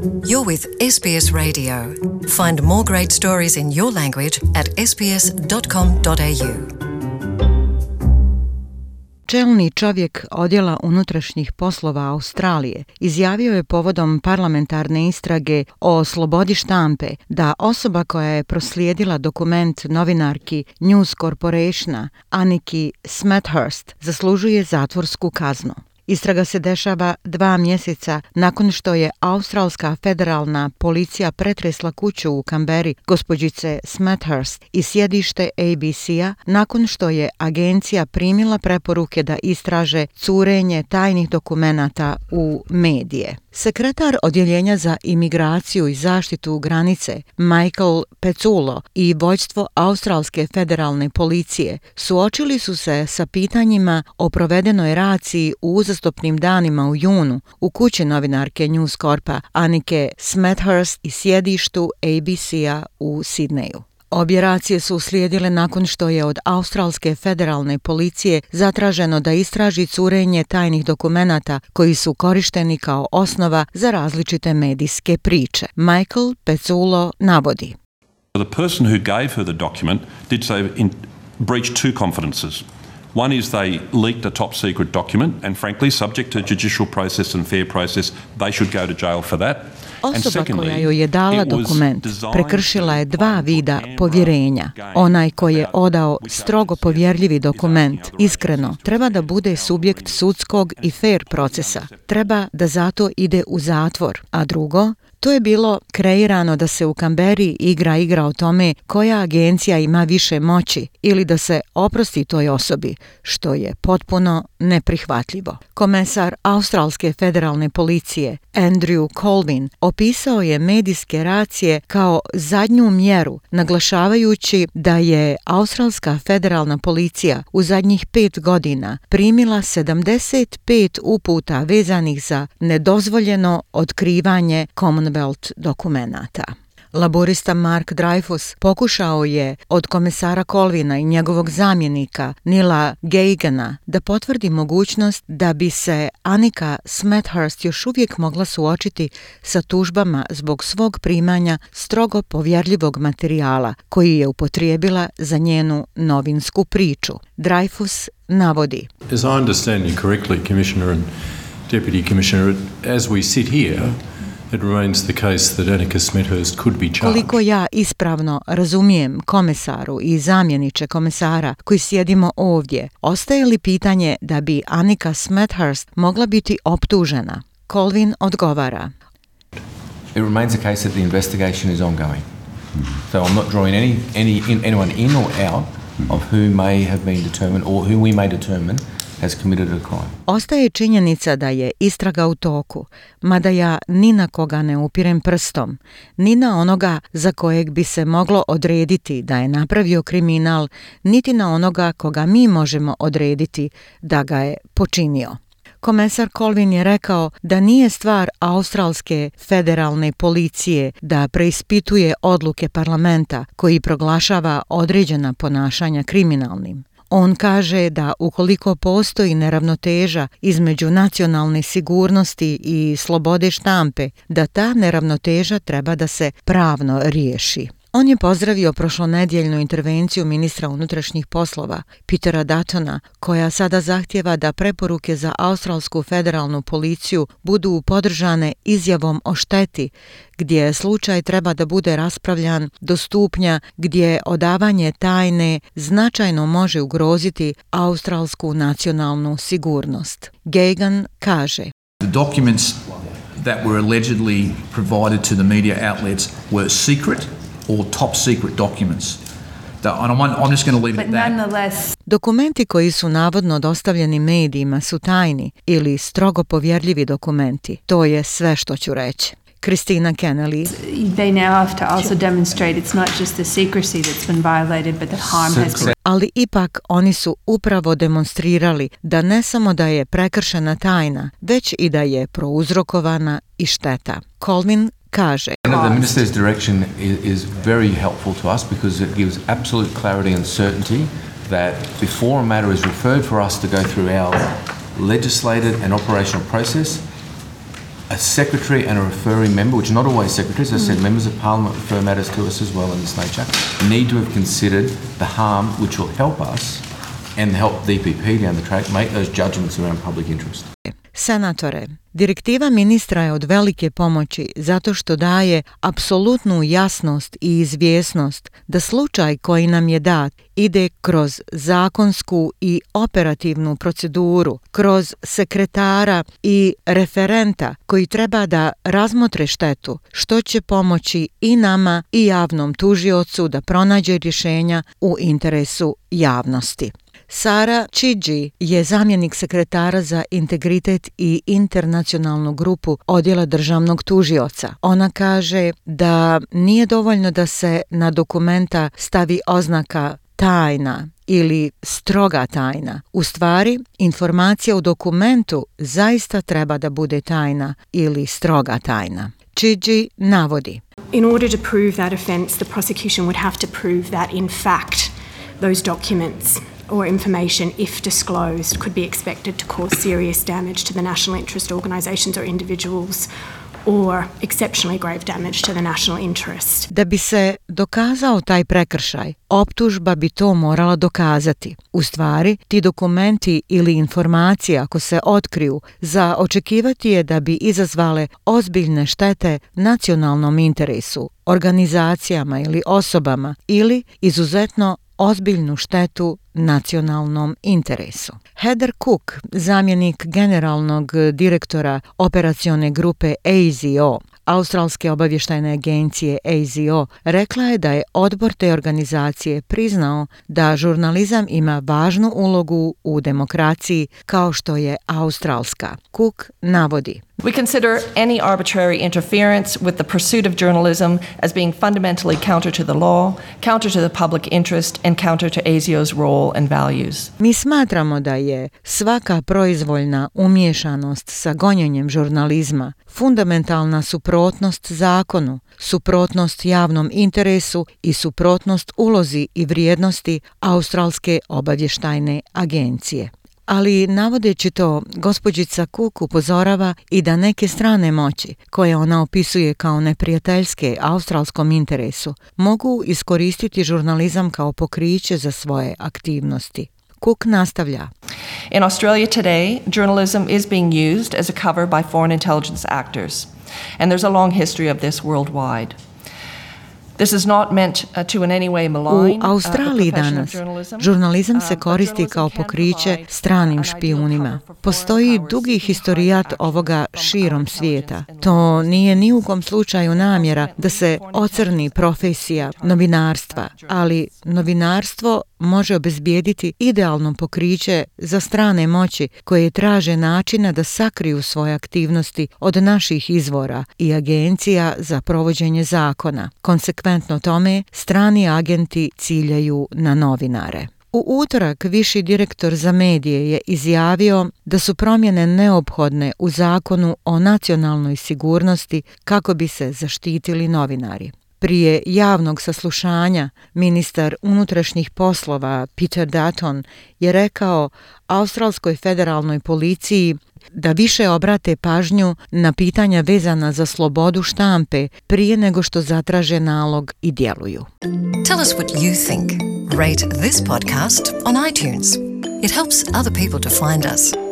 You're with SBS Radio. Find more great stories in your language at sbs.com.au. Čelni čovjek Odjela unutrašnjih poslova Australije izjavio je povodom parlamentarne istrage o slobodi štampe da osoba koja je proslijedila dokument novinarki News Corporationa Anniki Smethurst zaslužuje zatvorsku kaznu. Istraga se dešava 2 mjeseca nakon što je australska federalna policija pretresla kuću u Kamberi gospođice Smethurst i sjedište ABC-a nakon što je agencija primila preporuke da istraže curenje tajnih dokumenata u medije. Sekretar Odjeljenja za imigraciju i zaštitu granice Michael Pezzullo i vođstvo Australske federalne policije suočili su se sa pitanjima o provedenoj raciji u uzastopnim danima u junu u kući novinarke News Corpa Annike Smethurst i sjedištu ABC-a u Sidneju. Obje racije su uslijedile nakon što je od Australske federalne policije zatraženo da istraži curenje tajnih dokumenata koji su korišteni kao osnova za različite medijske priče. Michael Pezzullo navodi. The person who gave her the document did so breached 2 confidences. One is they leaked a top secret document and frankly, subject to judicial process and fair process, they should go to jail for that. Osoba koja joj je dala dokument prekršila je 2 vida povjerenja. Onaj koji je odao strogo povjerljivi dokument, iskreno, treba da bude subjekt sudskog i fair procesa. Treba da zato ide u zatvor. A drugo, to je bilo kreirano da se u Kamberi igra o tome koja agencija ima više moći ili da se oprosti toj osobi, što je potpuno neprihvatljivo. Komesar Australske federalne policije Andrew Colvin opisao je medijske racije kao zadnju mjeru, naglašavajući da je Australska federalna policija u zadnjih 5 godina primila 75 uputa vezanih za nedozvoljeno otkrivanje Commonwealth dokumenata. Laborista Mark Dreyfus pokušao je od komesara Colvina i njegovog zamjenika Nila Geigana da potvrdi mogućnost da bi se Annika Smethurst još uvijek mogla suočiti sa tužbama zbog svog primanja strogo povjerljivog materijala koji je upotrijebila za njenu novinsku priču. Dreyfus navodi. As I understand you correctly, Commissioner and Deputy Commissioner, as we sit here, it remains the case that Annika Smethurst could be charged. Koliko ja ispravno razumijem komesaru i zamjeniče komesara koji sjedimo ovdje, ostaje li pitanje da bi Annika Smethurst mogla biti optužena? Colvin odgovara. It remains the case that the investigation is ongoing. So I'm not drawing anyone in or out of who may have been determined or who we may determine has committed a crime. Ostaje činjenica da je istraga u toku, mada ja ni na koga ne upirem prstom, ni na onoga za kojeg bi se moglo odrediti da je napravio kriminal, niti na onoga koga mi možemo odrediti da ga je počinio. Komesar Colvin je rekao da nije stvar Australske federalne policije da preispituje odluke parlamenta koji proglašava određena ponašanja kriminalnim. On kaže da ukoliko postoji neravnoteža između nacionalne sigurnosti i slobode štampe, da ta neravnoteža treba da se pravno riješi. On je pozdravio prošlonedjeljnu intervenciju ministra unutrašnjih poslova Petera Duttona, koja sada zahtjeva da preporuke za Australsku federalnu policiju budu podržane izjavom o šteti, gdje slučaj treba da bude raspravljan do stupnja gdje odavanje tajne značajno može ugroziti australsku nacionalnu sigurnost. Geigan kaže: The documents that were allegedly provided to the media outlets were secret or top secret documents. I'm just going to leave it at that. Dokumenti koji su navodno dostavljeni medijima su tajni ili strogo povjerljivi dokumenti. To je sve što ću reći. Christina Kennelly. They now have to also demonstrate it's not just the secrecy that's been violated, but that harm has been. Ali ipak oni su upravo demonstrirali da ne samo da je prekršena tajna, već i da je prouzrokovana i šteta. Colvin kaže: The minister's direction is very helpful to us because it gives absolute clarity and certainty that before a matter is referred for us to go through our legislated and operational process, a secretary and a referring member, which are not always secretaries, as I said, members of parliament refer matters to us as well in this nature, need to have considered the harm which will help us and help DPP down the track make those judgments around public interest. Senatore, direktiva ministra je od velike pomoći zato što daje apsolutnu jasnost i izvjesnost da slučaj koji nam je dat ide kroz zakonsku i operativnu proceduru, kroz sekretara i referenta koji treba da razmotre štetu, što će pomoći i nama i javnom tužiocu da pronađe rješenja u interesu javnosti. Sara Chidgey je zamjenik sekretara za integritet i internacionalnu grupu odjela državnog tužioca. Ona kaže da nije dovoljno da se na dokumenta stavi oznaka tajna ili stroga tajna. U stvari, informacija u dokumentu zaista treba da bude tajna ili stroga tajna. Chidgey navodi: In order to prove that offence, the prosecution would have to prove that in fact those documents or information, if disclosed, could be expected to cause serious damage to the national interest organisations or individuals or exceptionally grave damage to the national interest. Da bi se dokazao taj prekršaj, optužba bi to morala dokazati. U stvari, ti dokumenti ili informacije, ako se otkriju, za očekivati je da bi izazvale ozbiljne štete nacionalnom interesu, organizacijama ili osobama ili izuzetno ozbiljnu štetu nacionalnom interesu. Heather Cook, zamjenik generalnog direktora operacione grupe ASIO, Australske obavještajne agencije ASIO, rekla je da je odbor te organizacije priznao da žurnalizam ima važnu ulogu u demokraciji kao što je australska. Cook navodi: We consider any arbitrary interference with the pursuit of journalism as being fundamentally counter to the law, counter to the public interest, and counter to ASIO's role and values. Mi smatramo da je svaka proizvoljna umiješanost sa gonjenjem žurnalizma fundamentalna suprotnost zakonu, suprotnost javnom interesu i suprotnost ulozi i vrijednosti Australske obavještajne agencije. Ali navodeći to, gospođica Cook upozorava i da neke strane moći, koje ona opisuje kao neprijateljske australskom interesu, mogu iskoristiti žurnalizam kao pokriće za svoje aktivnosti. Cook nastavlja: In Australia today, journalism is being used as a cover by foreign intelligence actors, and there's a long history of this worldwide. This is not meant to in any way malign. U Australiji danas žurnalizam se koristi kao pokriće stranim špijunima. Postoji dugi historijat ovoga širom svijeta. To nije ni u kom slučaju namjera da se ocrni profesija novinarstva, ali novinarstvo može obezbijediti idealno pokriće za strane moći koje traže načina da sakriju svoje aktivnosti od naših izvora i agencija za provođenje zakona. Konsekventno tome, strani agenti ciljaju na novinare. U utorak viši direktor za medije je izjavio da su promjene neophodne u zakonu o nacionalnoj sigurnosti kako bi se zaštitili novinari. Prije javnog saslušanja ministar unutrašnjih poslova Peter Dutton je rekao Australskoj federalnoj policiji da više obrate pažnju na pitanja vezana za slobodu štampe prije nego što zatraže nalog i djeluju. Tell us what you think. Rate this podcast on iTunes. It helps other people to find us.